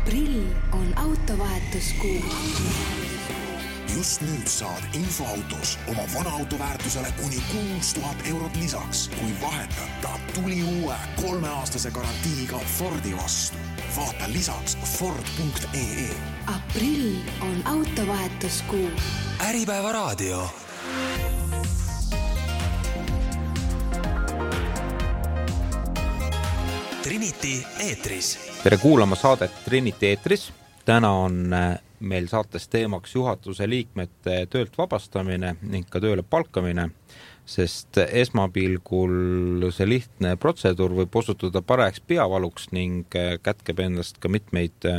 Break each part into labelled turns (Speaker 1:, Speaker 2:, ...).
Speaker 1: Aprill on autovahetuskuu.
Speaker 2: Just nüüd saad infoautos oma vana auto väärtusele kuni 6000 eurot lisaks, kui vahetada tuli uue 3-aastase garantiiga Fordi vastu. Vaata lisaks Ford.ee.
Speaker 1: Aprill on autovahetuskuu.
Speaker 3: Äripäeva raadio. Trinity eetris.
Speaker 4: Tere kuulama saadet Trinity eetris. Täna on meil saates teemaks juhatuse liikmete töölt vabastamine ning ka tööle palkamine, sest esmapilgul see lihtne protseduur võib osutuda parajaks peavaluks ning kätkeb endast ka mitmeid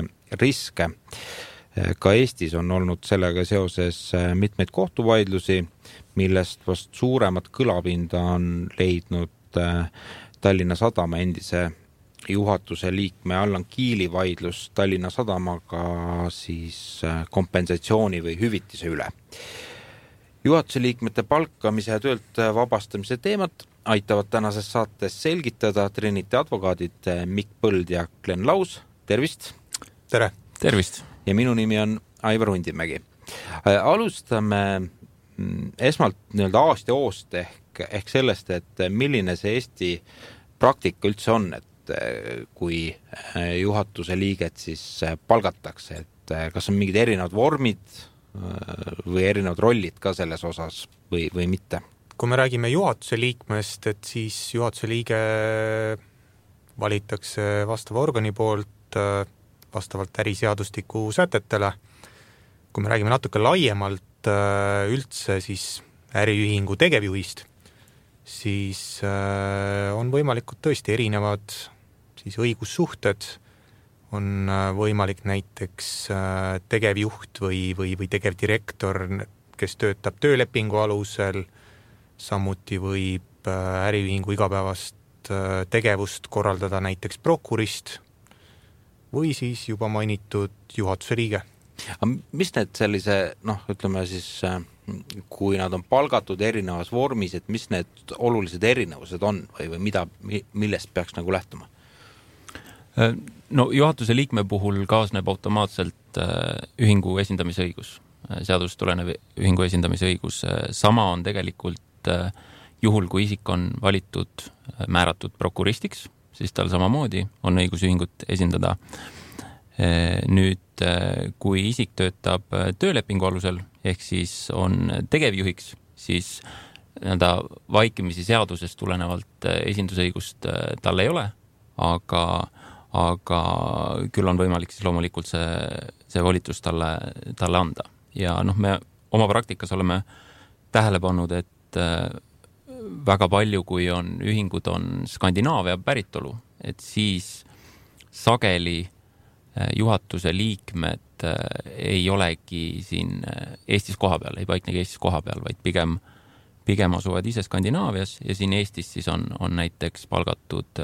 Speaker 4: riske. Ka Eestis on olnud sellega seoses mitmeid kohtuvaidlusi, millest vast suuremat kõlapinda on leidnud Tallinna Sadama endise juhatuse liikme Allan Kiili vaidlus Tallinna Sadamaga siis kompensatsiooni või hüvitise üle. Juhatuse liikmete palkamise ja töölt vabastamise teemat aitavad tänases saates selgitada Trinity advokaadid Mikk Põld ja Glen Laus. Tervist!
Speaker 5: Tere!
Speaker 6: Tervist!
Speaker 4: Ja minu nimi on Aivar Hundimägi. Alustame esmalt aasta oost ehk sellest, et milline see Eesti praktika üldse on, et kui juhatuse liiget siis palgatakse, et kas on mingid erinevad vormid või erinevad rollid ka selles osas või mitte?
Speaker 5: Kui me räägime juhatuse liikmest, et siis juhatuse liige valitakse vastava organi poolt vastavalt äriseadustiku sätetele. Kui me räägime natuke laiemalt üldse siis äriühingu tegevjuhist, siis on võimalikud tõesti erinevad siis õigussuhted, on võimalik näiteks tegevjuht või tegevdirektor, kes töötab töölepingu alusel, samuti võib äriühingu igapäevast tegevust korraldada näiteks prokurist või siis juba mainitud juhatuse liige.
Speaker 4: Mis need sellise, ütleme siis, kui nad on palgatud erinevas vormis, et mis need olulised erinevused on või millest peaks lähtuma?
Speaker 6: No juhatuse liikme puhul kaasneb automaatselt ühingu esindamise õigus, seadusest tulenev ühingu esindamise õigus. Sama on tegelikult juhul, kui isik on valitud, määratud prokuristiks, siis tal samamoodi on õigus ühingut esindada. Nüüd, kui isik töötab töölepingu alusel, ehk siis on tegevjuhiks, siis vaikimisi seadusest tulenevalt esindusõigust tal ei ole, aga küll on võimalik siis loomulikult see volitus talle anda. Ja me oma praktikas oleme tähele pannud, et väga palju, kui ühingud on Skandinaavia päritolu, et siis sageli juhatuse liikmed ei olegi siin Eestis koha peal, ei paiknegi Eestis koha peal, vaid pigem asuvad ise Skandinaavias ja siin Eestis siis on näiteks palgatud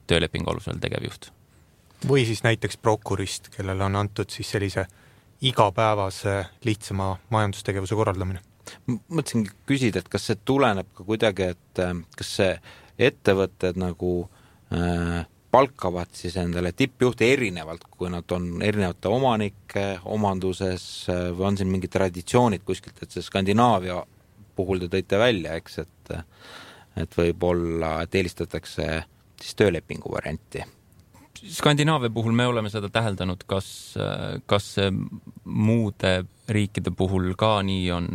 Speaker 6: töölepingu alusel tegevjuht.
Speaker 5: Või siis näiteks prokurist, kellele on antud siis sellise igapäevase lihtsama majandustegevuse korraldamine.
Speaker 4: Mõtlesin küsida, et kas see tuleneb ka kuidagi, et kas see ettevõtted palkavad siis endale tippjuhte erinevalt, kui nad on erinevate omanike omanduses või on siin mingid traditsioonid kuskilt, et see Skandinaavia puhul te tõite välja, eks, et võib-olla eelistatakse siis töölepingu varianti.
Speaker 6: Skandinaavia puhul me oleme seda täheldanud, kas muude riikide puhul ka nii on,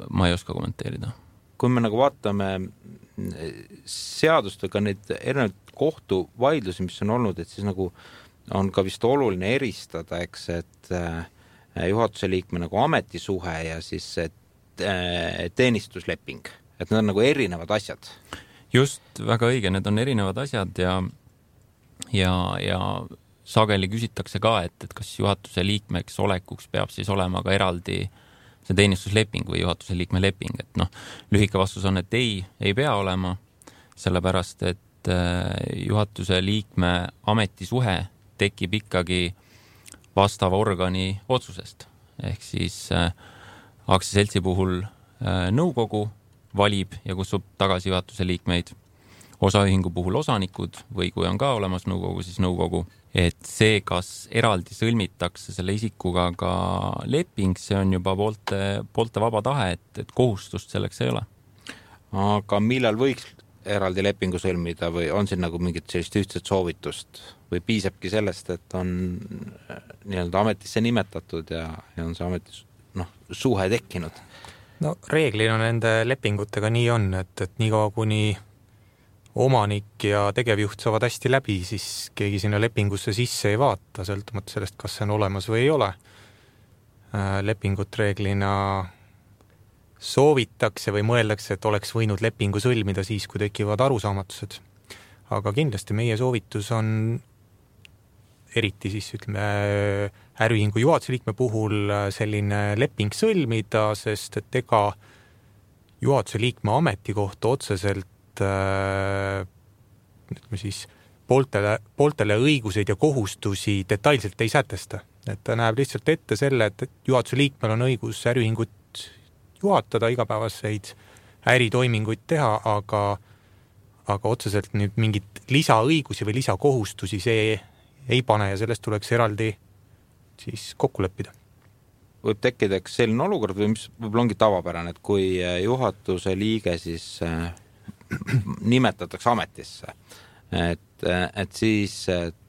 Speaker 6: ma ei oska kommenteerida.
Speaker 4: Kui me vaatame seadust või ka neid erinevaid kohtuvaidlusi, mis on olnud, et siis on ka vist oluline eristada, eks, et juhatuse liikme ametisuhe ja siis teenistusleping, et need on erinevad asjad.
Speaker 6: Just, väga õige, need on erinevad asjad ja sageli küsitakse ka, et kas juhatuse liikmeks olekuks peab siis olema ka eraldi see teenistusleping või juhatuse liikme leping, et lühike vastus on, et ei pea olema, sellepärast, et juhatuse liikme ametisuhe tekib ikkagi vastava organi otsusest. Ehk siis aktsiaseltsi puhul nõukogu valib ja kutsub tagasi juhatuse liikmeid. osaühingu puhul osanikud või kui on ka olemas nõukogu, siis nõukogu. Et see, kas eraldi sõlmitakse selle isikuga ka leping, see on juba poolte vaba tahe, et kohustust selleks ei ole.
Speaker 4: Aga millal võiks eraldi lepingu sõlmida või on siin nagu mingit sellist ühtset soovitust või piisabki sellest, et on nii-öelda ametisse nimetatud ja on see ametis suhe tekkinud?
Speaker 5: No reeglina nende lepingutega nii on, et nii kaua kuni omanik ja tegevjuht saavad hästi läbi, siis keegi sinna lepingusse sisse ei vaata, sõltumata sellest, kas see on olemas või ei ole. Lepingut reeglina soovitakse või mõeldakse, et oleks võinud lepingu sõlmida siis, kui tekivad arusaamatused. Aga kindlasti meie soovitus on eriti siis äriühingu juhatuse liikme puhul selline leping sõlmida, sest et ega juhatuse liikme ametikohta otseselt pooltele õiguseid ja kohustusi detailselt ei sätesta. Et ta näeb lihtsalt ette selle, et juhatuse liikmel on õigus äriühingut juhatada, igapäevaseid äritoiminguid teha, aga otseselt nüüd mingit lisaõigusi või lisakohustusi see ei pane ja sellest tuleks eraldi siis kokku leppida.
Speaker 4: Võib tekkida selline olukord või mis võib-olla ongi tavapärane, et kui juhatuse liige siis nimetatakse ametisse, et siis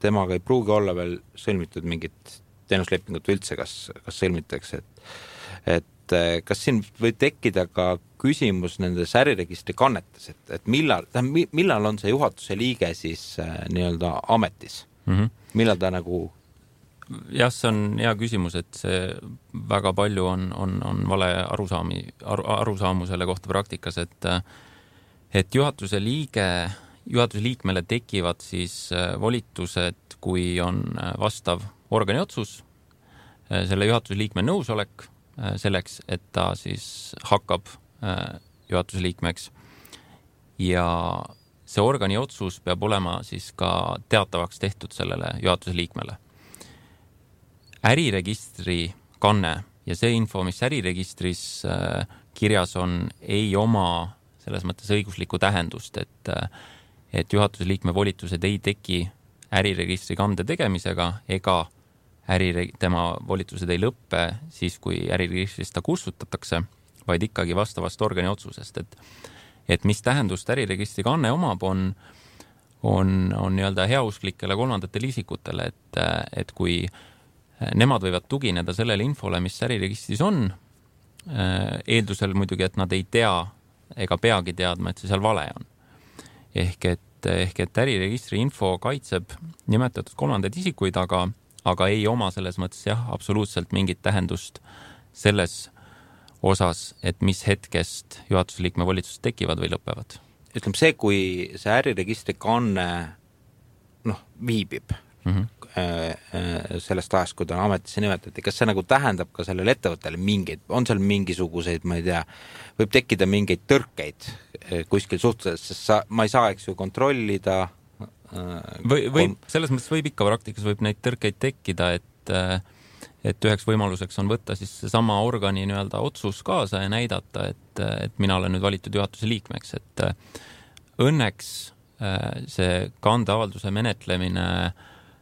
Speaker 4: temaga ei pruugi olla veel sõlmitud mingit teenuslepingut üldse, kas sõlmitakse, et kas siin võib tekkida ka küsimus nendes äriregistri kannetes, et millal on see juhatuse liige siis nii-öelda ametis? Millal ta nagu...
Speaker 6: Jah, see on hea küsimus, et see väga palju on vale arusaamu selle kohta praktikas, et juhatuse liikmele tekivad siis volitused, kui on vastav organi otsus, selle juhatuse liikme nõusolek selleks, et ta siis hakkab juhatuse liikmeks ja see organi otsus peab olema siis ka teatavaks tehtud sellele juhatuse liikmele. Äriregistri kanne ja see info, mis äriregistris kirjas on, ei oma selles mõttes õiguslikku tähendust, et juhatuse liikme volitused ei teki äriregistri kande tegemisega ega tema volitused ei lõppe siis, kui äriregistrist ta kustutatakse, vaid ikkagi vastavast organi otsusest. Et mis tähendust äriregistri kanne omab, on nii-öelda heausklikele kolmandatele isikutele, et kui nemad võivad tugineda sellele infole, mis äriregistris on, eeldusel muidugi, et nad ei tea ega peagi teadma, et see seal vale on. Ehk et äriregistri info kaitseb nimetatud kolmandaid isikuid, aga ei oma selles mõttes absoluutselt mingit tähendust selles osas, et mis hetkest juhatuse liikme volitused tekivad või lõpevad.
Speaker 4: Ütleme see, kui see äriregistri kanne viibib sellest ajast, kui ta ametisse nimetati, kas see nagu tähendab ka sellele ettevõttele mingeid, on seal mingisuguseid, ma ei tea, võib tekkida mingeid tõrkeid kuskil suhtes, sest ma ei saa, eks ju, kontrollida.
Speaker 6: Selles mõttes võib ikka praktikas võib neid tõrkeid tekkida, et üheks võimaluseks on võtta siis sama organi nii-öelda otsus kaasa ja näidata, et mina olen nüüd valitud juhatuse liikmeks, et õnneks see kandeavalduse menetlemine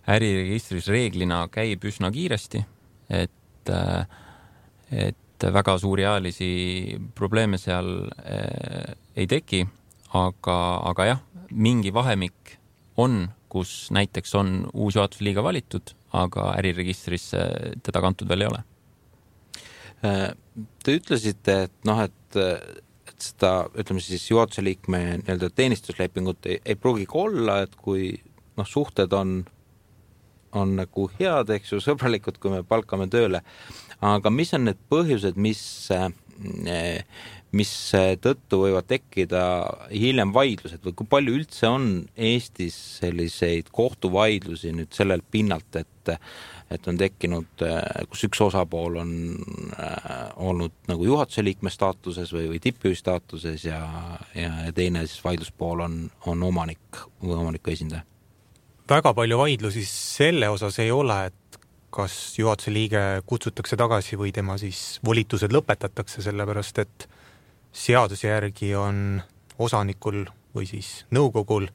Speaker 6: äriregistris reeglina käib üsna kiiresti, et väga suuri ajalisi probleeme seal ei teki, aga jah, mingi vahemik on, kus näiteks on uus juhatuse liige valitud, aga äriregistris teda kantud veel ei ole.
Speaker 4: Te ütlesite, et seda, ütleme siis juhatuse liikme nii-öelda teenistuslepingut ei pruugigi olla, et kui suhted on nagu head, eks ju, sõbralikud, kui me palkame tööle. Aga mis on need põhjused, mis tõttu võivad tekkida hiljem vaidlused või kui palju üldse on Eestis selliseid kohtuvaidlusi nüüd sellel pinnalt, et on tekkinud, kus üks osapool on olnud nagu juhatuse liikme staatuses või tippjuhi staatuses ja teine siis vaidluspool on omanik või omaniku esindaja?
Speaker 5: Väga palju vaidlusi selle osas ei ole, et kas juhatuse liige kutsutakse tagasi või tema siis volitused lõpetatakse, sellepärast et seaduse järgi on osanikul või siis nõukogul,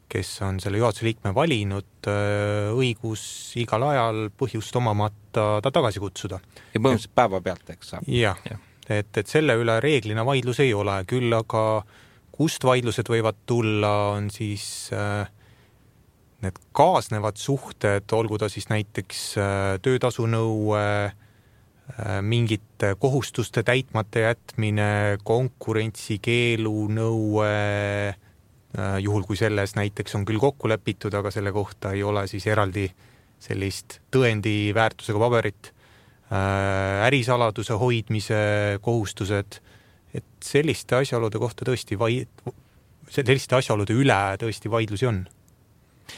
Speaker 5: kes on selle juhatuse liikme valinud, õigus igal ajal põhjust omamata ta tagasi kutsuda.
Speaker 4: Ja põhimõtteliselt päeva pealt, eks saab?
Speaker 5: Jah, et selle üle reeglina vaidlus ei ole, küll aga kust vaidlused võivad tulla, on siis need kaasnevad suhted, olgu ta siis näiteks töötasunõue, mingite kohustuste täitmata jätmine, konkurentsikeelu nõue, juhul kui selles näiteks on küll kokku lepitud, aga selle kohta ei ole siis eraldi sellist tõendi väärtusega paberit, ärisaladuse hoidmise kohustused, et selliste asjaolude kohta tõesti selliste asjaolude üle tõesti vaidlusi on.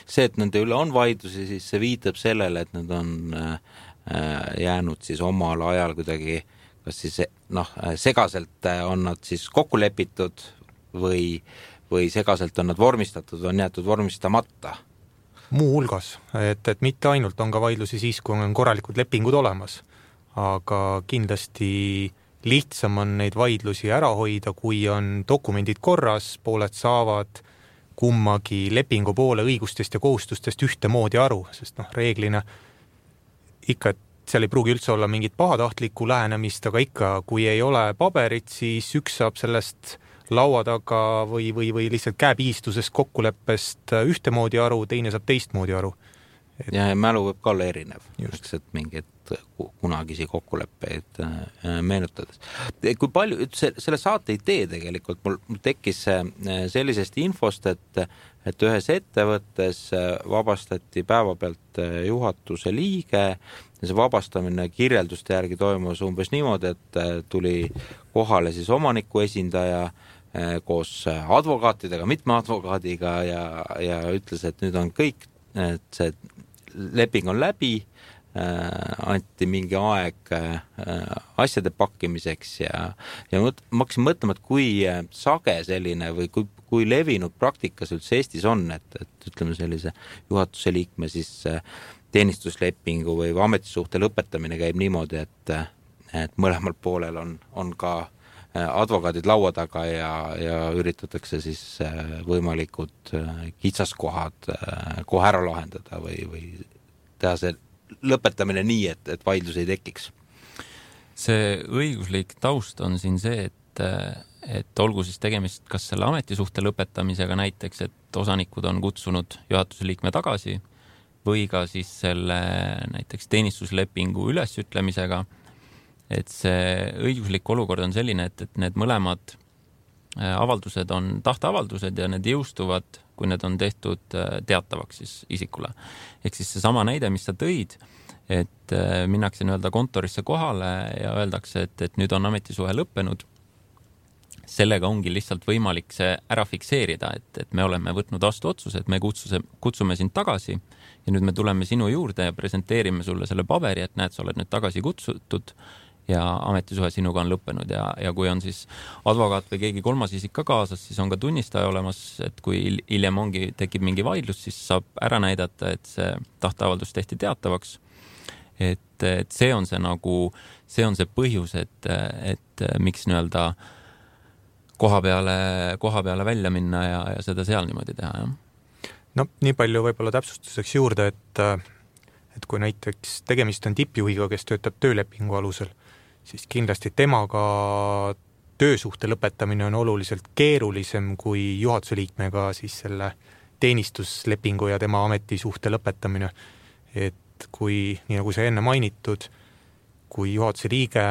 Speaker 4: See, et nende üle on vaidlusi, siis see viitab sellele, et nad on jäänud siis omal ajal kuidagi, kas siis segaselt on nad siis kokku lepitud või segaselt on nad vormistatud, on jäetud vormistamata?
Speaker 5: Muu hulgas, et mitte ainult on ka vaidlusi siis, kui on korralikud lepingud olemas, aga kindlasti lihtsam on neid vaidlusi ära hoida, kui on dokumendid korras, pooled saavad kummagi lepingu poole õigustest ja kohustustest ühtemoodi aru, sest reeglina ikka, et seal ei pruugi üldse olla mingit pahatahtlikku lähenemist, aga ikka, kui ei ole paberit, siis üks saab sellest laua taga või lihtsalt käepiistusest kokkuleppest ühtemoodi aru, teine saab teistmoodi aru.
Speaker 4: Ja mälu võib ka olla erinev, eks, et mingid kunagisi kokkuleppeid meenutades. Kui palju, selle saate idee tegelikult mul tekkis sellisest infost, et ühes ettevõttes vabastati päeva pealt juhatuse liige ja see vabastamine kirjelduste järgi toimus umbes niimoodi, et tuli kohale siis omaniku esindaja koos advokaatidega, mitme advokaadiga ja ütles, et nüüd on kõik, et see leping on läbi, anti mingi aeg asjade pakkimiseks ja ma hakkasin mõtlema, et kui sage selline või kui levinud praktikas üldse Eestis on, et ütleme sellise juhatuse liikme siis teenistuslepingu või ametisuhte lõpetamine käib niimoodi, et mõlemal poolel on ka advokaadid laua taga ja üritatakse siis võimalikud kitsaskohad kohe ära lahendada või teha see lõpetamine nii, et vaidlus ei tekiks.
Speaker 6: See õiguslik taust on siin see, et olgu siis tegemist kas selle ametisuhte lõpetamisega näiteks, et osanikud on kutsunud juhatuse liikme tagasi või ka siis selle näiteks teenistuslepingu ülesütlemisega, et see õiguslik olukord on selline, et need mõlemad avaldused on tahteavaldused ja need jõustuvad, kui need on tehtud teatavaks siis isikule. Ehk siis see sama näide, mis sa tõid, et minnakse kontorisse kohale ja öeldakse, et nüüd on ametisuhe lõppenud. Sellega ongi lihtsalt võimalik see ära fikseerida, et me oleme võtnud vastu otsuse, et me kutsume sind tagasi ja nüüd me tuleme sinu juurde ja presenteerime sulle selle paberi, et näed, sa oled nüüd tagasi kutsutud ja ametisuhe sinuga on lõppenud ja kui on siis advokaat või keegi kolmas isik ka kaasas, siis on ka tunnistaja olemas, et kui hiljem tekib mingi vaidlus, siis saab ära näidata, et see tahteavaldus tehti teatavaks. Et see on see põhjus, et miks koha peale välja minna ja seda seal niimoodi teha, jah.
Speaker 5: No, nii palju võib-olla täpsustuseks juurde, et kui näiteks tegemist on tippjuhiga, kes töötab töölepingu alusel, siis kindlasti temaga töösuhte lõpetamine on oluliselt keerulisem kui juhatuse liikmega siis selle teenistuslepingu ja tema ametisuhte lõpetamine. Et kui, nii nagu see enne mainitud, kui juhatuse liige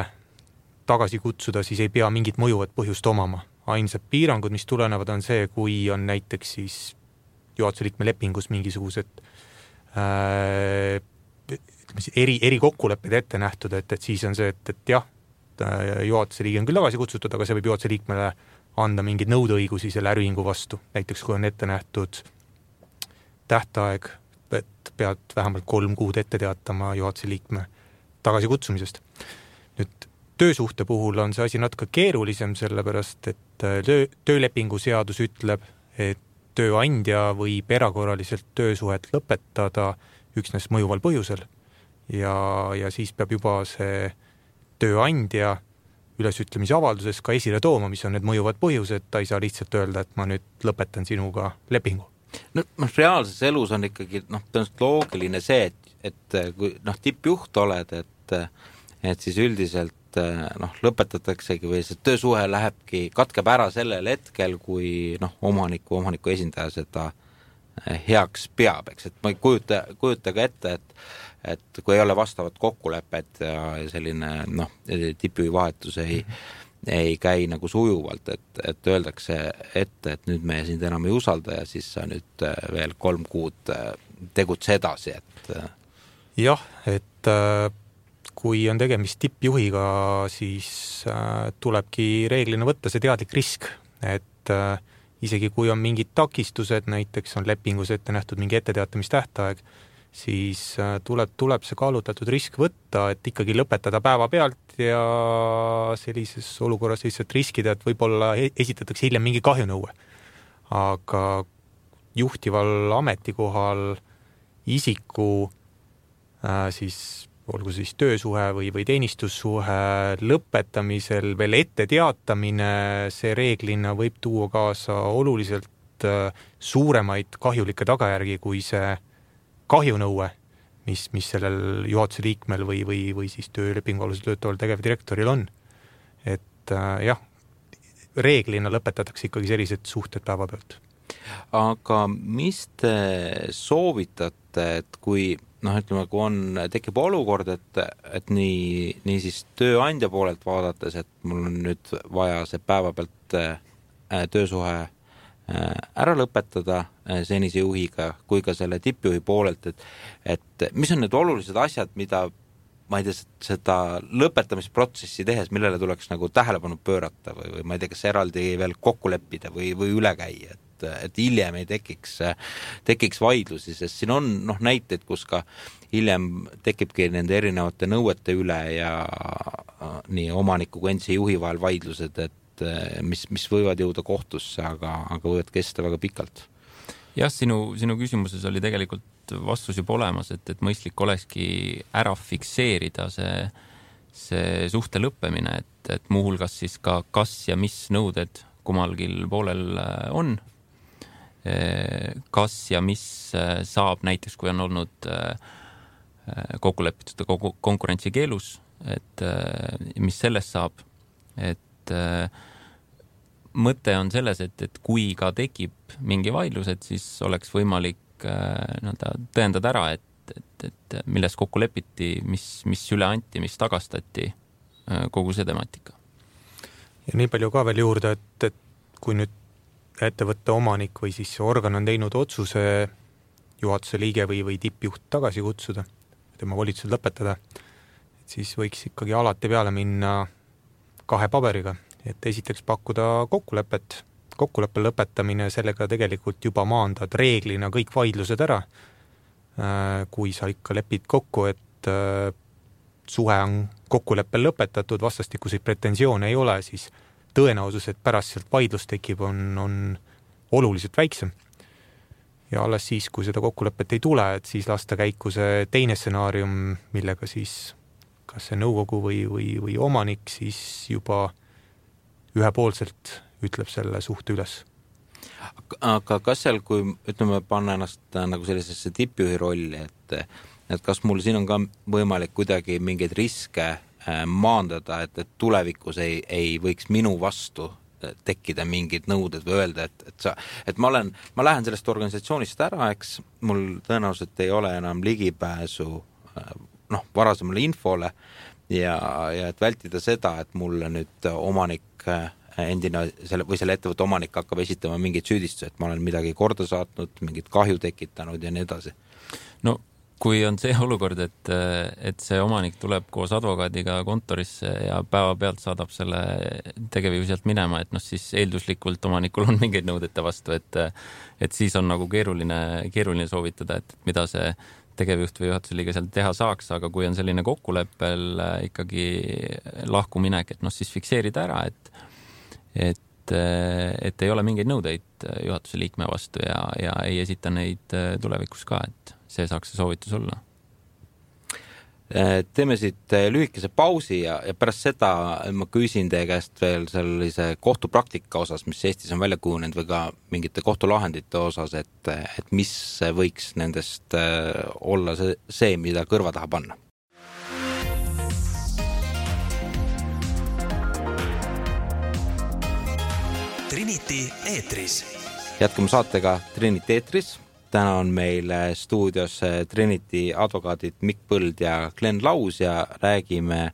Speaker 5: tagasi kutsuda, siis ei pea mingit mõjuvat põhjust omama. Ainsad piirangud, mis tulenevad, on see, kui on näiteks siis juhatuse liikme lepingus mingisugused eri kokkulepped ette nähtud, et siis on see, et jah, juhatuse liige on küll tagasi kutsutud, aga see võib juhatuse liikmele anda mingid nõudeõigusi selle äriühingu vastu. Näiteks kui on ette nähtud tähtaeg, et pead vähemalt 3 kuud ette teatama juhatuse liikme tagasi kutsumisest. Nüüd töösuhte puhul on see asi natuke keerulisem, sellepärast, et töölepingu seadus ütleb, et tööandja võib erakorraliselt töösuhet lõpetada üksnes mõjuval põhjusel ja siis peab juba see tööandja ülesütlemise avalduses ka esile tooma, mis on need mõjuvad põhjused, ta ei saa lihtsalt öelda, et ma nüüd lõpetan sinuga lepingu.
Speaker 4: No, reaalses elus on ikkagi tõenäoliselt loogiline see, et kui tippjuht oled, et siis üldiselt lõpetataksegi või see töösuhe katkeb ära sellel hetkel, kui omaniku esindaja seda heaks peab, eks, et ma ei kujuta ka ette, et kui ei ole vastavat kokkulepet ja selline tippjuhi vahetus ei käi nagu sujuvalt, et öeldakse ette, et nüüd me sind enam ei usalda ja siis sa nüüd veel 3 kuud tegutse edasi, et
Speaker 5: jah, et kui on tegemist tippjuhiga, siis tulebki reeglina võtta see teadlik risk, et isegi kui on mingid takistused, näiteks on lepingus ette nähtud mingi etteteatamistähtaeg, siis tuleb see kaalutletud risk võtta, et ikkagi lõpetada päeva pealt ja sellises olukorras lihtsalt riskida, et võib-olla esitatakse hiljem mingi kahjunõue. Aga juhtival ametikohal isiku siis olgu siis töösuhe või teenistussuhe lõpetamisel veel ette teatamine, see reeglina võib tuua kaasa oluliselt suuremaid kahjulikke tagajärgi kui see kahjunõue, mis sellel juhatuse liikmel või siis töölepingu alusel töötaval tegevdirektoril on. Et jah, reeglina lõpetatakse ikkagi sellised suhted päeva pealt.
Speaker 4: Aga mis te soovitate, et kui ütleme, kui tekib olukord, et nii siis tööandja poolelt vaadates, et mul on nüüd vaja see päeva pealt töösuhe ära lõpetada senise juhiga, kui ka selle tippjuhi poolelt, et mis on need olulised asjad, mida ma ei tea, seda lõpetamisprotsessi tehes, millele tuleks nagu tähelepanu pöörata või ma ei tea, kas eraldi veel kokku leppida või üle käia, et hiljem ei tekiks vaidlusi, sest siin on näiteid, kus ka hiljem tekibki nende erinevate nõuete üle ja nii omaniku kui endise juhi vahel vaidlused, et mis võivad jõuda kohtusse, aga võivad kesta väga pikalt.
Speaker 6: Jah, sinu küsimuses oli tegelikult vastus juba olemas, et mõistlik olekski ära fikseerida see suhte lõppemine, et muuhulgas siis ka kas ja mis nõuded kummalgil poolel on, kas ja mis saab näiteks, kui on olnud kokkulepitud konkurentsikeelus, et mis sellest saab, et mõte on selles, et kui ka tekib mingi vaidlus, et siis oleks võimalik tõendada ära, et milles kokku lepiti, mis üle anti, mis tagastati, kogu see temaatika.
Speaker 5: Ja nii palju ka veel juurde, et kui nüüd ettevõtte omanik või siis organ on teinud otsuse juhatuse liige või tippjuht tagasi kutsuda, tema volitused lõpetada, et siis võiks ikkagi alati peale minna 2 paberiga, et esiteks pakkuda kokkuleppe lõpetamine, sellega tegelikult juba maandad reeglina kõik vaidlused ära, kui sa ikka lepid kokku, et suhe on kokkuleppel lõpetatud, vastastikuseid pretensioone ei ole, siis tõenäosus, et pärast sealt vaidlus tekib, on oluliselt väiksem. Ja alles siis, kui seda kokkulepet ei tule, et siis lasta käiku see teine stsenaarium, millega siis kas see nõukogu või omanik siis juba ühepoolselt ütleb selle suhte üles.
Speaker 4: Aga kas seal, kui ütleme, panna ennast nagu sellisesse tippjuhi rolli, et kas mul siin on ka võimalik kuidagi mingeid riske maandada, et tulevikus ei võiks minu vastu tekkida mingid nõuded või öelda, et ma lähen sellest organisatsioonist ära, eks mul tõenäoliselt ei ole enam ligipääsu varasemale infole ja et vältida seda, et mulle nüüd omanik endine või selle ettevõtte omanik hakkab esitama mingeid süüdistusi, et ma olen midagi korda saatnud, mingit kahju tekitanud ja nii edasi.
Speaker 6: No kui on see olukord, et see omanik tuleb koos advokaadiga kontorisse ja päeva pealt saadab selle tegevjuhi sealt minema, et siis eelduslikult omanikul on mingeid nõudete vastu, et siis on nagu keeruline soovitada, et mida see tegevjuht või juhatuse liige seal teha saaks, aga kui on selline kokkuleppel ikkagi lahkuminek, et siis fikseerida ära, et ei ole mingeid nõudeid juhatuse liikme vastu ja ei esita neid tulevikus ka, et see saaks see soovitus olla.
Speaker 4: Teeme siit lühikese pausi ja pärast seda ma küsin teie käest veel sellise kohtupraktika osas, mis Eestis on välja kujunenud või ka mingite kohtulahendite osas, et mis võiks nendest olla see, mida kõrva taha panna.
Speaker 3: Trinity eetris.
Speaker 4: Jätkame saatega Trinity eetris. Täna on meil stuudios Trinity advokaadid Mikk Põld ja Glen Laus ja räägime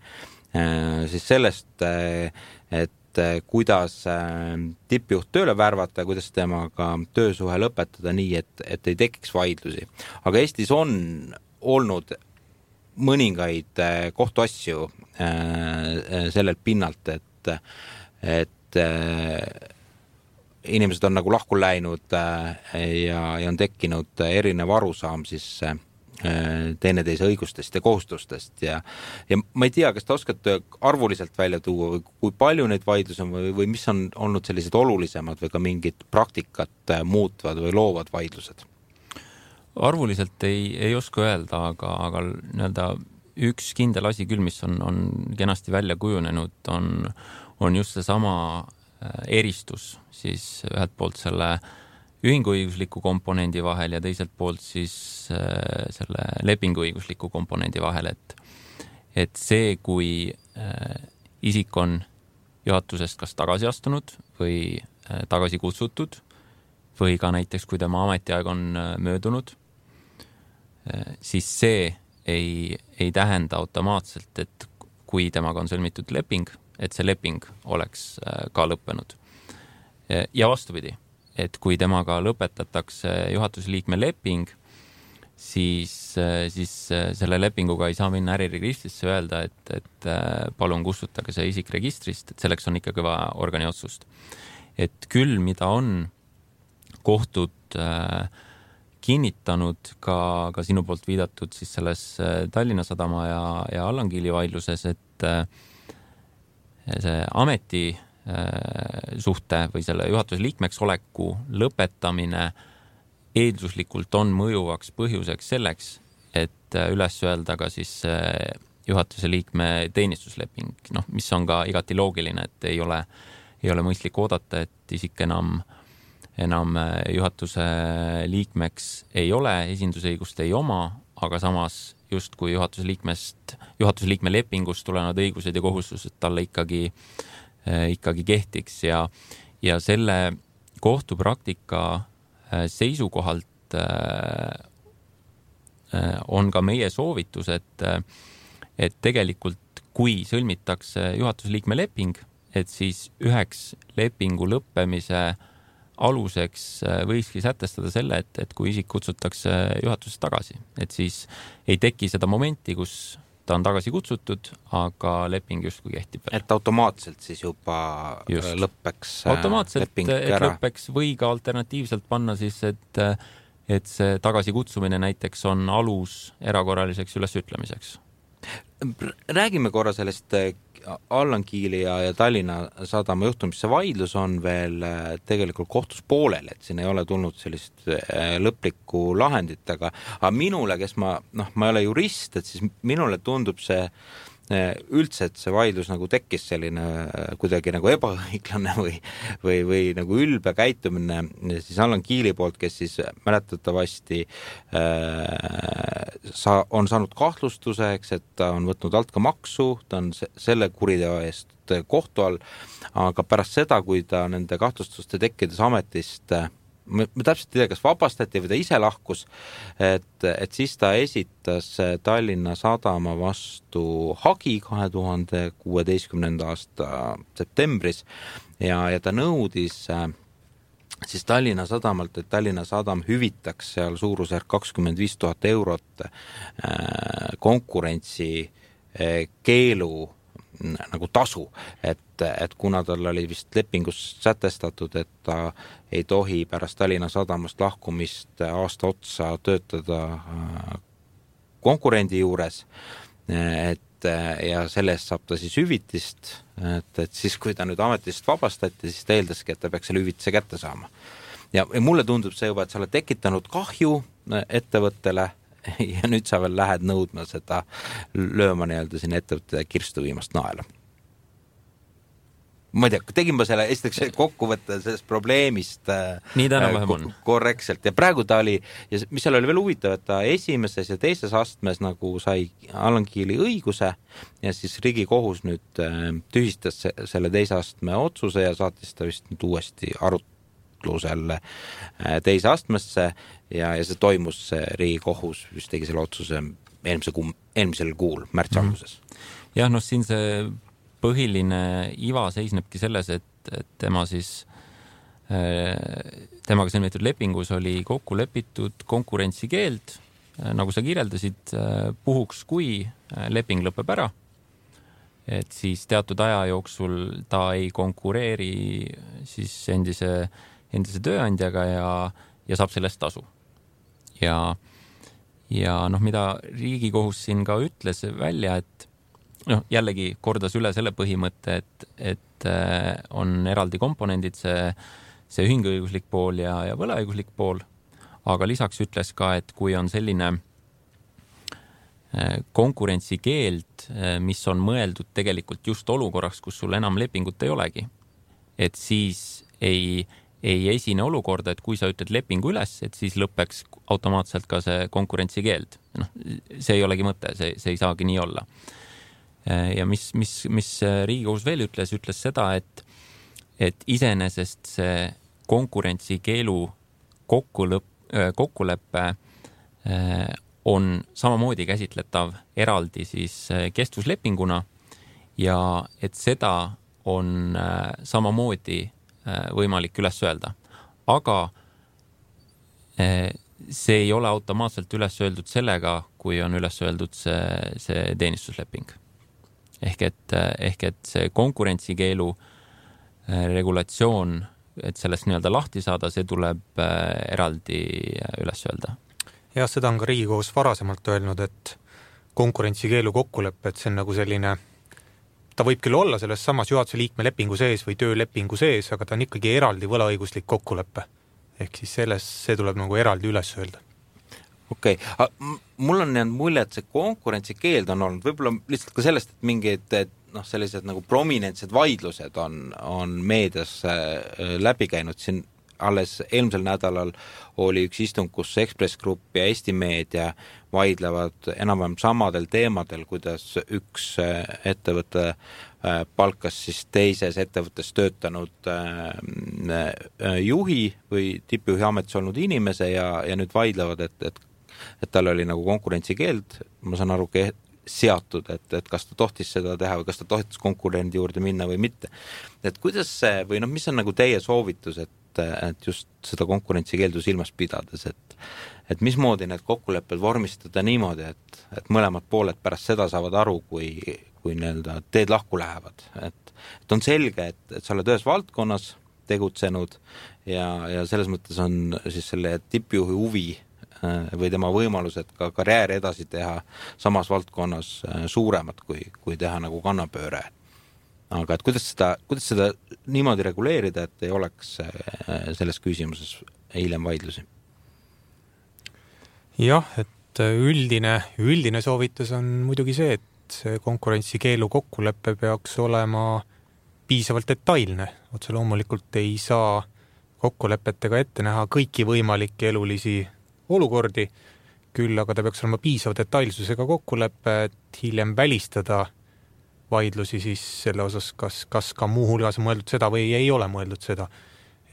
Speaker 4: siis sellest, et kuidas tippjuht tööle värvata, kuidas temaga töösuhe lõpetada nii, et ei tekiks vaidlusi. Aga Eestis on olnud mõningaid kohtuasju sellelt pinnalt, et inimesed on nagu lahku läinud ja on tekkinud erinev arusaam siis teineteise õigustest ja kohustustest ja ma ei tea, kas te oskate arvuliselt välja tuua või kui palju neid vaidlusi on või mis on olnud sellised olulisemad või ka mingid praktikat muutvad või loovad vaidlused?
Speaker 6: Arvuliselt ei oska öelda, aga nii-öelda üks kindel asi küll, mis on kenasti välja kujunenud, on just seesama eristus siis ühelt poolt selle ühinguõigusliku komponendi vahel ja teiselt poolt siis selle lepinguõigusliku komponendi vahel, et see, kui isik on juhatusest kas tagasi astunud või tagasi kutsutud või ka näiteks, kui tema ametiaeg on möödunud, siis see ei tähenda automaatselt, et kui temaga on sõlmitud leping, et see leping oleks ka lõppenud. Ja vastupidi, et kui temaga lõpetatakse juhatuse liikme leping, siis selle lepinguga ei saa minna äriregistrisse öelda, et palun kustutage see isik registrist, et selleks on ikkagi vaja organi otsust. Et küll, mida on kohtud kinnitanud ka sinu poolt viidatud siis selles Tallinna Sadama ja Allankiili vaidluses, et see ameti suhte või selle juhatuse liikmeks oleku lõpetamine eelduslikult on mõjuvaks põhjuseks selleks, et üles öelda ka siis juhatuse liikme teenistusleping, mis on ka igati loogiline, et ei ole mõistlik oodata, et isik enam juhatuse liikmeks ei ole, esindusõigust ei oma, aga samas just kui juhatuse liikme lepingust tulevad õigused ja kohustused talle ikkagi kehtiks ja selle kohtupraktika seisukohalt on ka meie soovitus, et tegelikult kui sõlmitakse juhatuse liikme leping, et siis üheks lepingu lõppemise aluseks võikski sätestada selle, et kui isik kutsutakse juhatusest tagasi, et siis ei teki seda momenti, kus ta on tagasi kutsutud, aga leping justkui kehtib.
Speaker 4: Et automaatselt siis juba lõppeks leping ära.
Speaker 6: Lõppeks või ka alternatiivselt panna siis, et see tagasikutsumine näiteks on alus erakorraliseks ülesütlemiseks.
Speaker 4: Räägime korra sellest Allankiili ja Tallinna Sadama juhtumisse. Vaidlus on veel tegelikult kohtus poolel, et siin ei ole tulnud sellist lõplikku lahendit, aga minule, kes ma ei ole jurist, et siis minule tundub see üldse, et see vaidlus nagu tekkis selline kuidagi nagu ebaõiglane või nagu ülbe käitumine siis Allankiili poolt, kes siis mäletatavasti on saanud kahtlustuseks, et ta on võtnud alt ka maksu, ta on selle kuriteo eest kohtu all, aga pärast seda, kui ta nende kahtlustuste tekkides ametist me täpselt ei tea, kas vabastati või ta ise lahkus, et siis ta esitas Tallinna Sadama vastu hagi 2016. aasta septembris ja ta nõudis siis Tallinna Sadamalt, et Tallinna Sadam hüvitaks seal suurusjärk 25 000 eurot konkurentsi keelu nagu tasu, et kuna tal oli vist lepingus sätestatud, et ta ei tohi pärast Tallinna Sadamast lahkumist aasta otsa töötada konkurendi juures, ja sellest saab ta siis hüvitist, et siis kui ta nüüd ametist vabastati, siis ta eeldaski, et ta peaks selle hüvitise kätte saama. Ja mulle tundub see juba, et sa oled tekitanud kahju ettevõttele ja nüüd sa veel lähed nõudma seda, lööma nii-öelda siin ettevõtte kirstu viimast naela. Ma ei tea, tegin ma selle esiteks kokkuvõtte sellest probleemist
Speaker 6: nii täna-vähem on.
Speaker 4: Korrektselt. Ja praegu ta oli, ja mis seal oli veel huvitav, et ta esimeses ja teises astmes nagu sai Allan Kiili õiguse ja siis Riigikohus nüüd tühistas selle teise astme otsuse ja saatis ta vist nüüd uuesti arutlusel teise astmesse ja see toimus Riigikohus, vist tegi selle otsuse eelmisel kuul, märtsi alguses.
Speaker 6: Jah, noh, siin see põhiline iva seisnebki selles, et tema siis, temaga sõlmitud lepingus oli kokku lepitud konkurentsikeeld, nagu sa kirjeldasid, puhuks kui leping lõpeb ära, et siis teatud aja jooksul ta ei konkureeri siis endise tööandjaga ja saab sellest tasu. Ja noh, mida Riigikohus siin ka ütles välja, et noh, jällegi kordas üle selle põhimõtte, et on eraldi komponendid, see ühinguõiguslik pool ja võlaõiguslik pool, aga lisaks ütles ka, et kui on selline konkurentsikeeld, mis on mõeldud tegelikult just olukorraks, kus sul enam lepingut ei olegi, et siis ei esine olukorda, et kui sa ütled lepingu üles, et siis lõpeks automaatselt ka see konkurentsikeeld. Noh, see ei olegi mõte, see ei saagi nii olla. Ja mis Riigikohus veel ütles seda, et iseenesest see konkurentsikeelu kokkuleppe on samamoodi käsitletav eraldi siis kestvuslepinguna ja et seda on samamoodi võimalik üles öelda. Aga see ei ole automaatselt üles öeldud sellega, kui on üles öeldud see teenistusleping. Ehk et see konkurentsikeelu regulatsioon, et sellest nii-öelda lahti saada, see tuleb eraldi üles öelda.
Speaker 5: Ja seda on ka Riigikohus varasemalt öelnud, et konkurentsikeelu kokkulepe, et see on nagu selline, ta võib küll olla selles samas juhatuse liikme lepingu sees või töölepingu sees, aga ta on ikkagi eraldi võlaõiguslik kokkulepe. Ehk siis see tuleb nagu eraldi üles öelda.
Speaker 4: Okei. Mul on jäänud mulje, et see konkurentsikeeld on olnud võib-olla lihtsalt ka sellest, et mingid sellised nagu prominentsed vaidlused on meedias läbi käinud. Siin alles eelmisel nädalal oli üks istung, kus Ekspress Grupp ja Eesti Meedia vaidlevad enam-vähem samadel teemadel, kuidas üks ettevõte palkas siis teises ettevõttes töötanud juhi või tippjuhi ametis olnud inimese ja nüüd vaidlevad, et tal oli nagu konkurentsikeeld, ma saan aru, seatud, et kas ta tohtis seda teha või kas ta tohtis konkurendi juurde minna või mitte. Et kuidas see, või mis on nagu teie soovitus, et just seda konkurentsikeeldu silmas pidades, et mismoodi need kokkulepped vormistada niimoodi, et mõlemad pooled pärast seda saavad aru, kui nii-öelda teed lahku lähevad. Et on selge, et sa oled ühes valdkonnas tegutsenud ja selles mõttes on siis selle tippjuhi huvi või tema võimalused ka karjääri edasi teha samas valdkonnas suuremad, kui teha nagu kannapööre. Aga et kuidas seda niimoodi reguleerida, et ei oleks selles küsimuses hiljem vaidlusi? Jah,
Speaker 5: et üldine soovitus on muidugi see, et see konkurentsikeelu kokkulepe peaks olema piisavalt detailne. Otse loomulikult ei saa kokkulepetega ette näha kõiki võimalikke elulisi olukordi, küll aga ta peaks olema piisava detailsusega kokkulepe, et hiljem välistada vaidlusi siis selle osas, kas ka muu hulgas on mõeldud seda või ei ole mõeldud seda.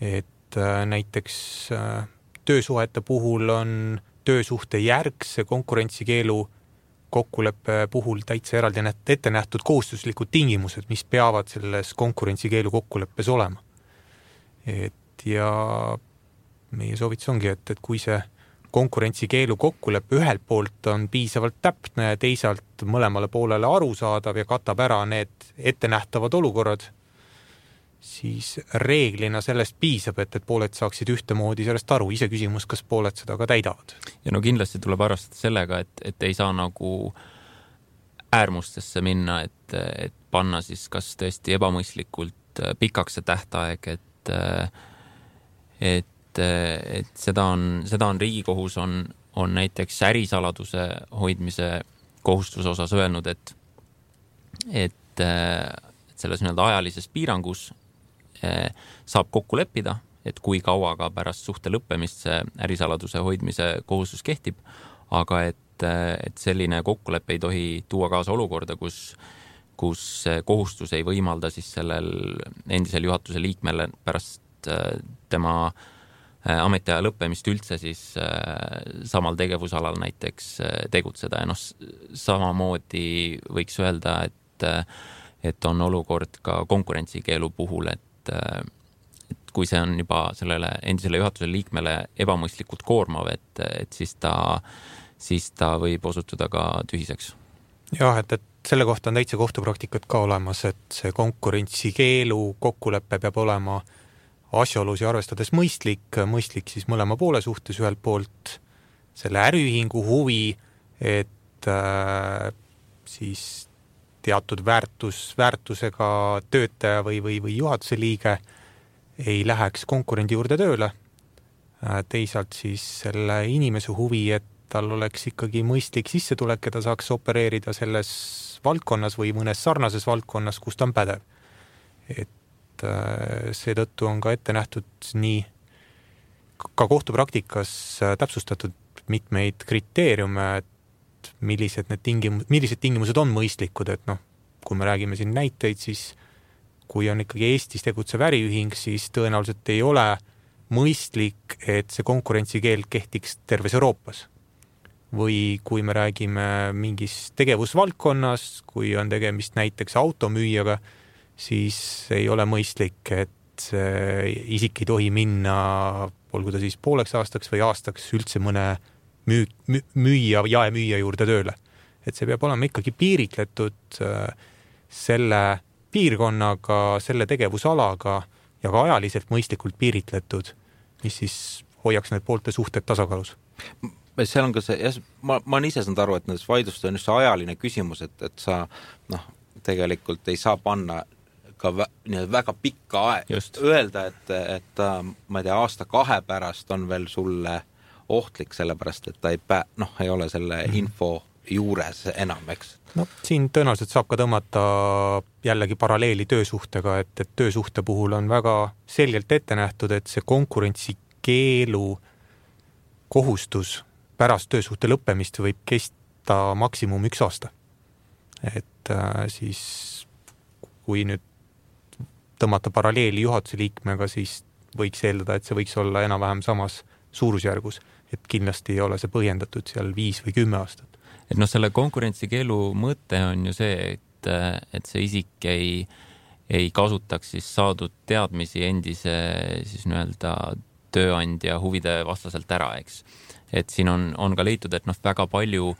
Speaker 5: Et näiteks töösuhete puhul on töösuhte järgse konkurentsikeelu kokkuleppe puhul täitsa eraldi ette nähtud kohustuslikud tingimused, mis peavad selles konkurentsikeelu kokkuleppes olema. Ja meie soovitus ongi, et kui see konkurentsikeelu kokkuleppe ühelt poolt on piisavalt täpne ja teisalt mõlemale poolele arusaadav ja katab ära need ettenähtavad olukorrad, siis reeglina sellest piisab, et pooled saaksid ühtemoodi sellest aru. Ise küsimus, kas pooled seda ka täidavad.
Speaker 6: Ja no kindlasti tuleb arvestada sellega, et ei saa nagu äärmustesse minna, et panna siis kas tõesti ebamõistlikult pikaks see tähtaeg, et seda on Riigikohus on on näiteks ärisaladuse hoidmise kohustuse osas öelnud, et selles nii-öelda ajalises piirangus saab kokku leppida, et kui kaua ka pärast suhte lõppemist see ärisaladuse hoidmise kohustus kehtib, aga et selline kokkulepe ei tohi tuua kaasa olukorda, kus kohustus ei võimalda siis sellel endisel juhatuse liikmele pärast tema ametiaja lõppemist üldse siis samal tegevusalal näiteks tegutseda. Ja samamoodi võiks öelda, et on olukord ka konkurentsikeelu puhul, et kui see on juba sellele endisele juhatuse liikmele ebamõistlikult koormav, et siis ta võib osutuda ka tühiseks.
Speaker 5: Jah, et selle kohta on täitsa kohtupraktikat ka olemas, et see konkurentsikeelu kokkulepe peab olema asjaolusi arvestades mõistlik siis mõlema poole suhtes, ühelt poolt selle äriühingu huvi, et siis teatud väärtusega töötaja või juhatuse liige ei läheks konkurendi juurde tööle. Teisalt siis selle inimese huvi, et tal oleks ikkagi mõistlik sissetulek ja ta saaks opereerida selles valdkonnas või mõnes sarnases valdkonnas, kus ta on pädev. Et seetõttu on ka ette nähtud nii ka kohtupraktikas täpsustatud mitmeid kriteeriume, et millised tingimused on mõistlikud, et kui me räägime siin näiteid, siis kui on ikkagi Eestis tegutsev äriühing, siis tõenäoliselt ei ole mõistlik, et see konkurentsikeeld kehtiks terves Euroopas. Või kui me räägime mingis tegevusvaldkonnas, kui on tegemist näiteks automüüjaga, siis ei ole mõistlik, et isik ei tohi minna, olgu ta siis pooleks aastaks või aastaks üldse mõne jaemüüja juurde tööle. Et see peab olema ikkagi piiritletud selle piirkonnaga, selle tegevusalaga ja ka ajaliselt mõistlikult piiritletud, mis siis hoiaks need poolte suhted tasakaalus.
Speaker 4: Seal on ka see, ma olen ise saanud aru, et nendes vaidlustes on just see ajaline küsimus, et sa tegelikult ei saa panna ka väga pikka öelda, et ma ei tea, aasta-2 pärast on veel sulle ohtlik, sellepärast, et ta ei ole selle info juures enam, eks.
Speaker 5: Siin tõenäoliselt saab ka tõmmata jällegi paralleeli töösuhtega, et töösuhte puhul on väga selgelt ette nähtud, et see konkurentsikeelu kohustus pärast töösuhte lõppemist võib kesta maksimum 1 aasta. Et siis kui nüüd tõmmata paralleeli juhatuse liikmega, siis võiks eeldada, et see võiks olla enam-vähem samas suurusjärgus, et kindlasti ei ole see põhjendatud seal 5 või 10 aastat.
Speaker 6: Et selle konkurentsikeelu mõte on ju see, et see isik ei kasutaks siis saadud teadmisi endise siis nii-öelda tööandja huvide vastaselt ära, eks. Et siin on ka leitud, et väga palju,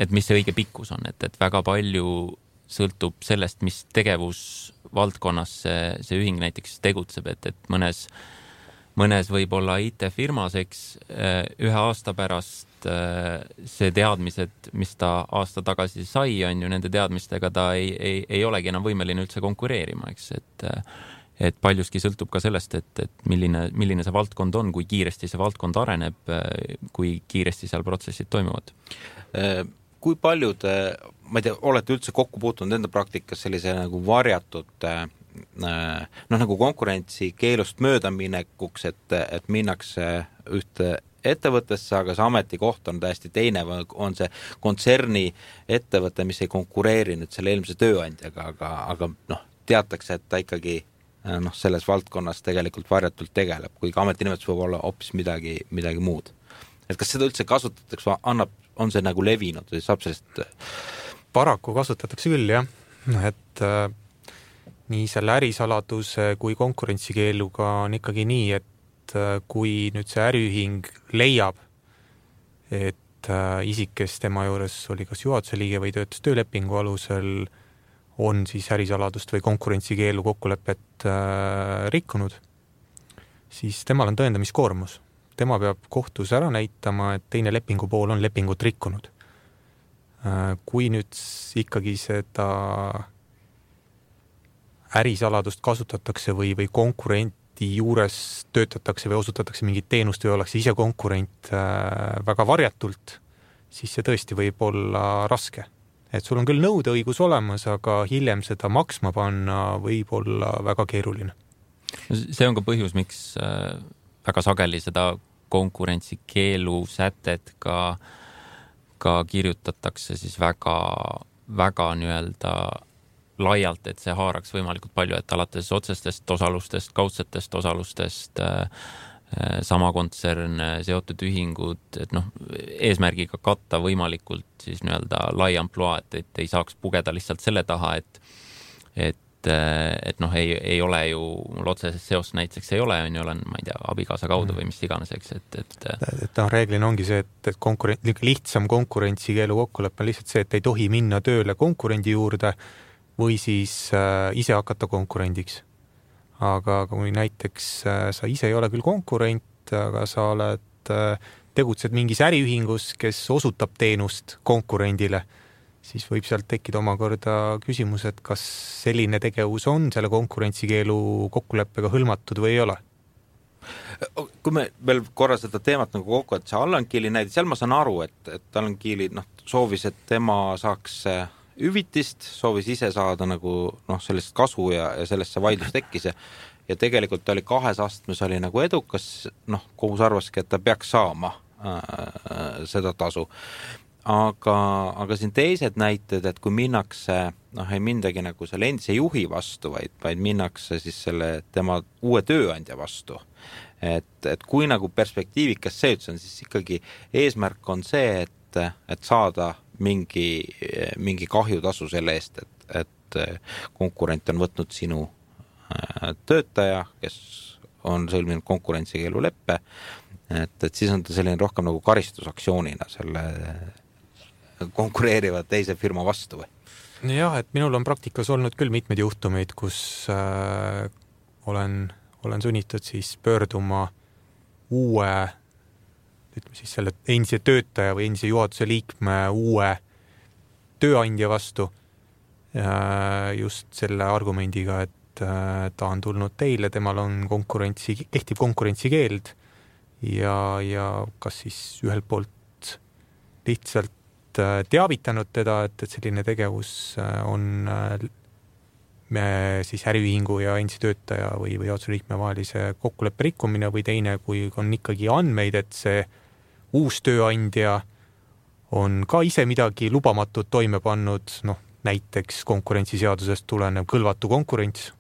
Speaker 6: et mis see õige pikkus on, et väga palju sõltub sellest, mis tegevusvaldkonnas see ühing näiteks tegutseb, et mõnes võib olla IT-firmas, eks 1 aasta pärast see teadmised, mis ta aasta tagasi sai, on ju nende teadmistega ta ei olegi enam võimeline üldse konkureerima, eks, et paljuski sõltub ka sellest, et milline see valdkond on, kui kiiresti see valdkond areneb, kui kiiresti seal protsessid toimuvad.
Speaker 4: Kui paljud, ma ei tea, olete üldse kokku puutunud enda praktikas sellise nagu varjatud nagu konkurentsikeelust möödaminekuks, et minnakse ühte ettevõttesse, aga see ametikoht on täiesti teine, on see kontserni ettevõte, mis ei konkureeri nüüd selle eelmise tööandjaga, aga teatakse, et ta ikkagi selles valdkonnas tegelikult varjatult tegeleb, kuigi ametinimetus võib olla hoopis midagi muud. Et kas seda üldse kasutatakse, on see nagu levinud või saab sellest?
Speaker 5: Paraku kasutatakse küll, jah. Et nii selle ärisaladuse kui konkurentsikeeluga on ikkagi nii, et kui nüüd see äriühing leiab, et isik, kes tema juures oli kas juhatuse liige või töötas töölepingu alusel, on siis ärisaladust või konkurentsikeelu kokkulepet rikkunud, siis temal on tõendamiskoormus. Tema peab kohtus ära näitama, et teine lepingupool on lepingut rikkunud. Kui nüüd ikkagi seda ärisaladust kasutatakse või konkurenti konkurendi juures töötatakse või osutatakse mingit teenust või ollakse ise konkurent väga varjatult, siis see tõesti võib olla raske. Et sul on küll nõudeõigus olemas, aga hiljem seda maksma panna võib olla väga keeruline.
Speaker 6: See on ka põhjus, miks väga sageli seda konkurentsikeelu sätet ka kirjutatakse siis väga nii-öelda laialt, et see haaraks võimalikult palju, et alates otsestest osalustest, kaudsetest osalustest, sama kontsern, seotud ühingud, et eesmärgiga katta võimalikult siis nii-öelda lai amploa, et ei saaks pugeda lihtsalt selle taha, et ei ole ju, mul otsesest seost näiteks ei ole, olen, ma ei tea, abikaasa kaudu või mis iganes, eks, et
Speaker 5: reeglina ongi see, et lihtsam konkurentsikeelu kokkulepe on lihtsalt see, et ei tohi minna tööle konkurendi juurde või siis ise hakata konkurendiks. Aga kui näiteks sa ise ei ole küll konkurent, aga sa tegutsed mingis äriühingus, kes osutab teenust konkurendile, siis võib sealt tekkida omakorda küsimus, et kas selline tegevus on selle konkurentsikeelu kokkuleppega hõlmatud või ei ole.
Speaker 4: Kui me veel korra seda teemat nagu kokku, et see Allan Kiili näide, seal ma saan aru, et Allan Kiili soovis, et tema saaks hüvitist, soovis ise saada nagu sellist kasu ja sellest see vaidlus tekkis ja tegelikult oli 2 astmes oli nagu edukas, kohus arvaski, et ta peaks saama seda tasu. Aga siin teised näited, et kui minnakse, ei mindagi nagu selle endise juhi vastu, vaid minnakse siis selle tema uue tööandja vastu. Et kui nagu perspektiivikas see üldse on, siis ikkagi eesmärk on see, et saada mingi kahjutasu selle eest, et konkurent on võtnud sinu töötaja, kes on sõlminud konkurentsikeelu leppe, et siis on ta selline rohkem nagu karistusaktsioonina selle konkureeriva teise firma vastu või?
Speaker 5: Jah, et minul on praktikas olnud küll mitmeid juhtumeid, kus olen sunnitud siis pöörduma uue, ütleme siis selle endise töötaja või endise juhatuse liikme uue tööandja vastu just selle argumendiga, et ta on tulnud teile, temal on kehtiv konkurentsikeeld ja kas siis ühelt poolt lihtsalt teavitanud teda, et selline tegevus on siis äriühingu ja endise töötaja või juhatuse liikme vahelise kokkuleppe rikkumine või teine, kui on ikkagi andmeid, et see uus tööandja on ka ise midagi lubamatut toime pannud, näiteks konkurentsiseadusest tulenev kõlvatu konkurents.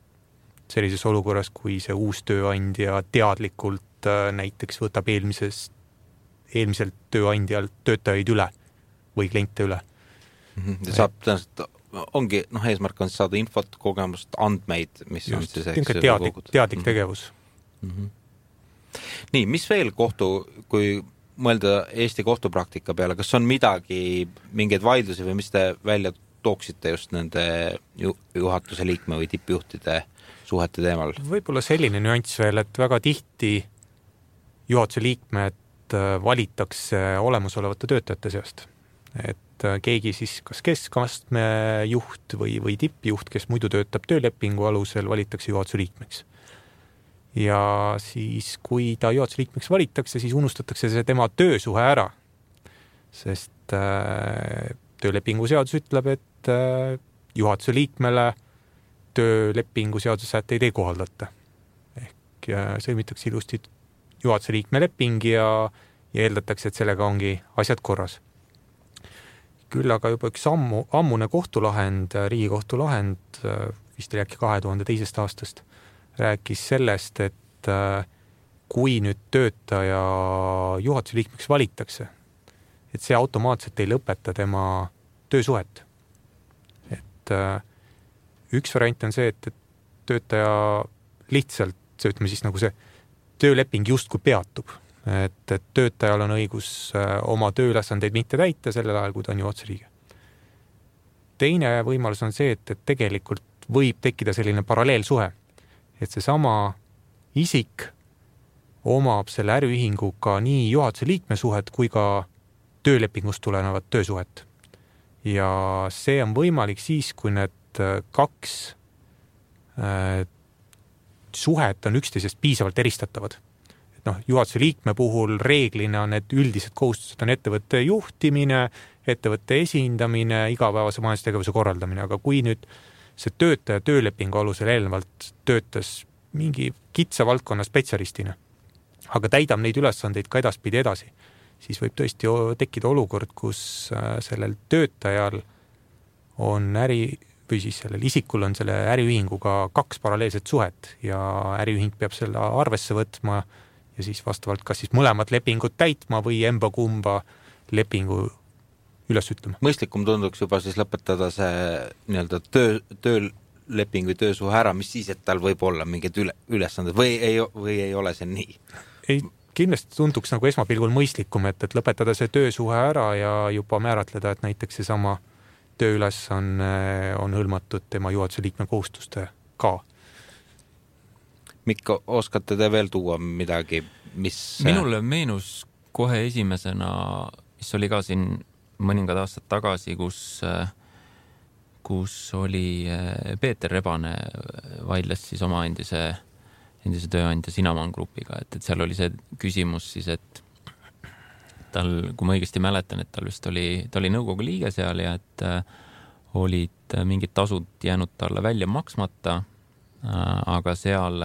Speaker 5: Sellises olukorras, kui see uus tööandja teadlikult näiteks võtab eelmiselt tööandjalt töötajaid üle või kliente üle.
Speaker 4: Saab tõenäoliselt, ongi, eesmärk on saada infot, kogemust, andmeid, mis just, on siis
Speaker 5: teadlik tegevus.
Speaker 4: Nii, mis veel kui mõelda Eesti kohtupraktika peale, kas on mingeid vaidlusi või mis te välja tooksite just nende juhatuse liikme või tippjuhtide suhete teemal?
Speaker 5: Võib-olla selline nüanss veel, et väga tihti juhatuse liikmed valitakse olemasolevate töötajate seast. Et keegi siis kas keskastme juht või tippjuht, kes muidu töötab töölepingu alusel, valitakse juhatuse liikmeks. Ja siis, kui ta juhatuse liikmeks valitakse, siis unustatakse see tema töösuhe ära. Sest töölepingu seadus ütleb, et juhatuse liikmele töölepingu seaduse sätteid ei kohaldata. Ehk sõlmitakse ilusti juhatuse liikme leping ja eeldatakse, et sellega ongi asjad korras. Küll aga juba üks ammune kohtulahend, Riigikohtulahend, vist oli äkki 2002. aastast, rääkis sellest, et kui nüüd töötaja juhatuse liikmeks valitakse, et see automaatselt ei lõpeta tema töösuhet. Et üks variant on see, et töötaja lihtsalt, ütleme siis nagu see tööleping justkui peatub. Et töötajal on õigus oma tööülesandeid mitte täita sellel ajal, kui ta on juhatuse liige. Teine võimalus on see, et tegelikult võib tekkida selline paralleelsuhe, et see sama isik omab selle äriühinguga nii juhatuse liikme suhet kui ka töölepingust tulenevat töösuhet. Ja see on võimalik siis, kui need kaks suhet on üksteisest piisavalt eristatavad. Juhatuse liikme puhul reeglina need üldised kohustused on ettevõtte juhtimine, ettevõtte esindamine, igapäevase majandustegevuse korraldamine, aga kui nüüd see töötaja töölepingu alusel eelnevalt töötas mingi kitsa valdkonna spetsialistina, aga täidab neid ülesandeid ka edaspidi edasi, siis võib tõesti tekkida olukord, kus sellel töötajal on või siis sellel isikul on selle äriühinguga 2 paralleelset suhet ja äriühing peab selle arvesse võtma ja siis vastavalt kas siis mõlemad lepingud täitma või emba-kumba lepingu üles ütlema.
Speaker 4: Mõistlikum tunduks juba siis lõpetada see nii-öelda tööleping või töösuhe ära, mis siis, et tal võib olla mingid ülesanded või ei ole see nii?
Speaker 5: Ei, kindlasti tunduks nagu esmapilgul mõistlikum, et lõpetada see töösuhe ära ja juba määratleda, et näiteks seesama tööülesanne on hõlmatud tema juhatuse liikme kohustuste ka.
Speaker 4: Mikko, oskate te veel tuua midagi, mis...
Speaker 6: Minule meenus kohe esimesena, mis oli ka siin mõningad aastad tagasi, kus oli Peeter Rebane vaidles siis oma endise tööandja Sinaman grupiga, et seal oli see küsimus siis, et tal, kui ma õigesti mäletan, et ta oli nõukogu liige seal ja et olid mingid tasud jäänud talle välja maksmata, aga seal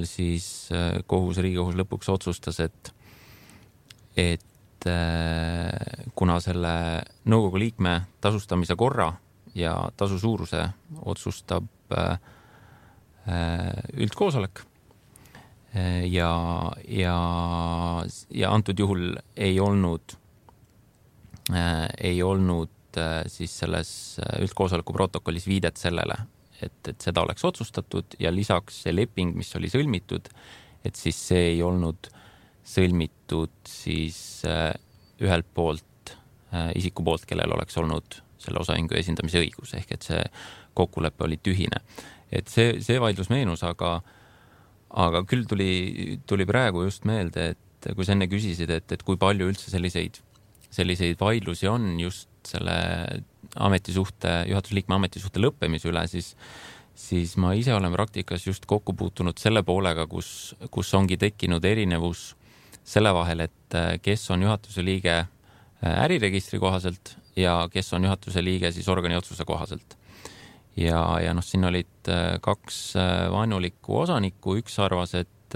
Speaker 6: siis Riigikohus lõpuks otsustas, et kuna selle nõukogu liikme tasustamise korra ja tasu suuruse otsustab üldkoosolek ja antud juhul ei olnud siis selles üldkoosoleku protokollis viidet sellele, et seda oleks otsustatud ja lisaks see leping, mis oli sõlmitud, et siis see ei olnud sõlmitud siis ühelt poolt isiku poolt, kellel oleks olnud selle osaühingu esindamise õigus, ehk et see kokkulepe oli tühine. Et see vaidlus meenus, aga küll tuli praegu just meelde, et kui sa enne küsisid, et kui palju üldse selliseid vaidlusi on just selle juhatusliikme ametisuhte lõppemise üle, siis ma ise olen praktikas just kokku puutunud selle poolega, kus ongi tekkinud erinevus selle vahel, et kes on juhatuse liige äriregistri kohaselt ja kes on juhatuse liige siis organi otsuse kohaselt. Ja siin olid 2 vaenulikku osanikku, üks arvas, et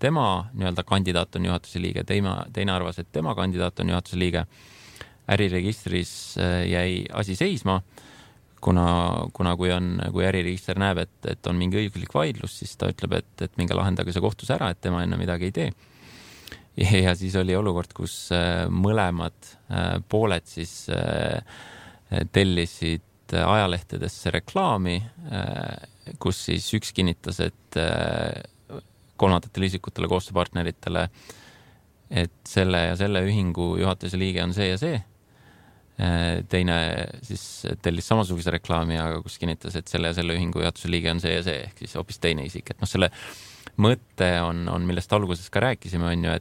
Speaker 6: tema nii-öelda kandidaat on juhatuse liige, teine arvas, et tema kandidaat on juhatuse liige. Äriregistris jäi asi seisma, kuna kui äriregister näeb, et on mingi õiguslik vaidlus, siis ta ütleb, et minge lahendage see kohtus ära, et tema enne midagi ei tee. Ja siis oli olukord, kus mõlemad pooled siis tellisid ajalehtedesse reklaami, kus siis üks kinnitas, et kolmandatele isikutele, koostööpartneritele, et selle ja selle ühingu juhatuse liige on see ja see. Teine siis tellis samasuguse reklaami, aga kus kinnitas, et selle ja selle ühingu juhatuse liige on see ja see, ehk siis hoopis teine isik. Et selle mõte on, millest alguses ka rääkisime, on ju,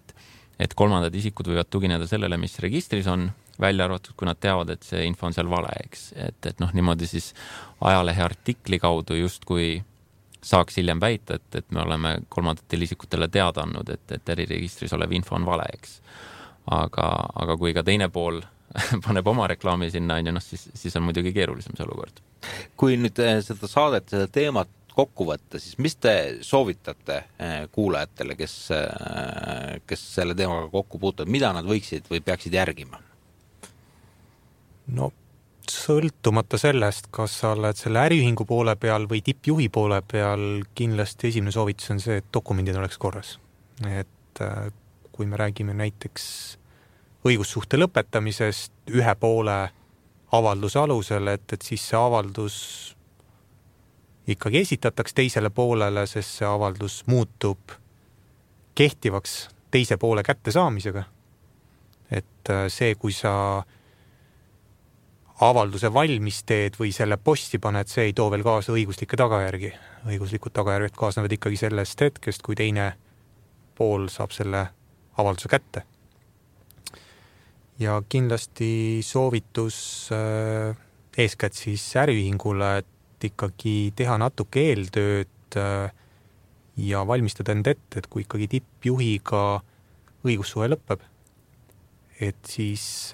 Speaker 6: et kolmandad isikud võivad tugineda sellele, mis registris on, välja arvatud, kui nad teavad, et see info on seal vale, eks. Et niimoodi siis ajalehe artikli kaudu justkui saaks hiljem väita, et me oleme kolmandatele isikutele teada andnud, et äriregistris olev info on vale, eks. Aga kui ka teine pool paneb oma reklaami sinna, siis on muidugi keerulisem see olukord.
Speaker 4: Kui nüüd seda saadet, seda teemat kokku võtta, siis mis te soovitate kuulajatele, kes selle teemaga kokku puutuvad, mida nad võiksid või peaksid järgima?
Speaker 5: No sõltumata sellest, kas sa oled selle äriühingu poole peal või tippjuhi poole peal, kindlasti esimene soovitus on see, et dokumendid oleks korras. Et kui me räägime näiteks õigussuhte lõpetamisest ühe poole avalduse alusel, et siis see avaldus ikkagi esitataks teisele poolele, sest see avaldus muutub kehtivaks teise poole kättesaamisega. Et see, kui sa avalduse valmis teed või selle posti paned, see ei too veel kaasa õiguslikke tagajärgi. Õiguslikud tagajärged kaasnevad ikkagi sellest hetkest, kui teine pool saab selle avalduse kätte. Ja kindlasti soovitus eeskätt siis äriühingule, et ikkagi teha natuke eeltööd ja valmistada end ette, et kui ikkagi tippjuhiga õigussuhe lõpeb, et siis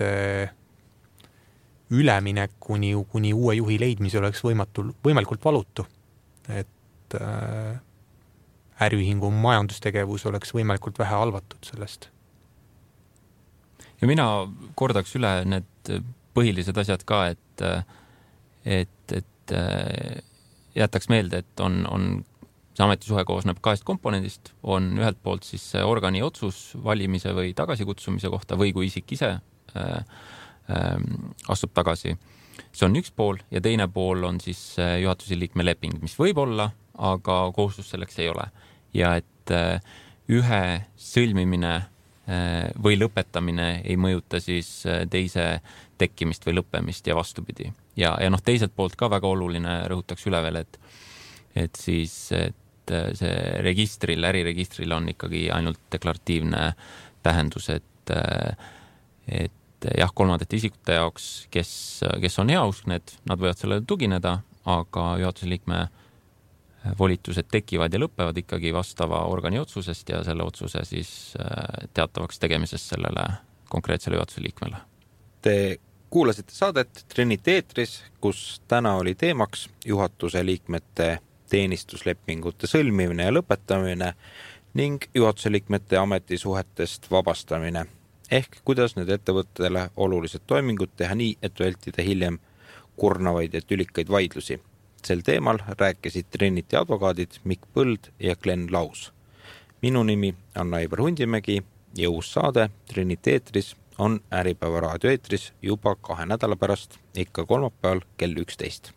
Speaker 5: üleminek kuni uue juhi leidmise oleks võimalikult valutu, et äriühingu majandustegevus oleks võimalikult vähe halvatud sellest.
Speaker 6: Ja mina kordaks üle need põhilised asjad ka, et jätaks meelde, et on see ametisuhe koosneb 2 komponendist, on ühelt poolt siis organi otsus valimise või tagasikutsumise kohta või kui isik ise astub tagasi. See on üks pool ja teine pool on siis juhatuse liikme leping, mis võib olla, aga kohustus selleks ei ole. Ja et ühe sõlmimine või lõpetamine ei mõjuta siis teise tekkimist või lõppemist ja vastupidi. Ja teiselt poolt ka väga oluline rõhutaks üle veel, et siis see registril, äriregistril on ikkagi ainult deklaratiivne tähendus, et jah, kolmandate isikute jaoks, kes on heauskned, nad võivad sellele tugineda, aga juhatuse liikme volitused tekivad ja lõpevad ikkagi vastava organi otsusest ja selle otsuse siis teatavaks tegemisest sellele konkreetsele juhatuse liikmele.
Speaker 4: Te kuulasite saadet Trinity eetris, kus täna oli teemaks juhatuse liikmete teenistuslepingute sõlmimine ja lõpetamine ning juhatuse liikmete ametisuhetest vabastamine. Ehk kuidas need ettevõttele olulised toimingud teha nii, et vältida hiljem kurnavaid ja tülikaid vaidlusi. Sel teemal rääkisid Trinity advokaadid Mikk Põld ja Glen Laus. Minu nimi on Aivar Hundimägi ja uus saade Trinity eetris on Äripäeva raadio eetris juba 2 nädala pärast, ikka kolmapäeval kell 11.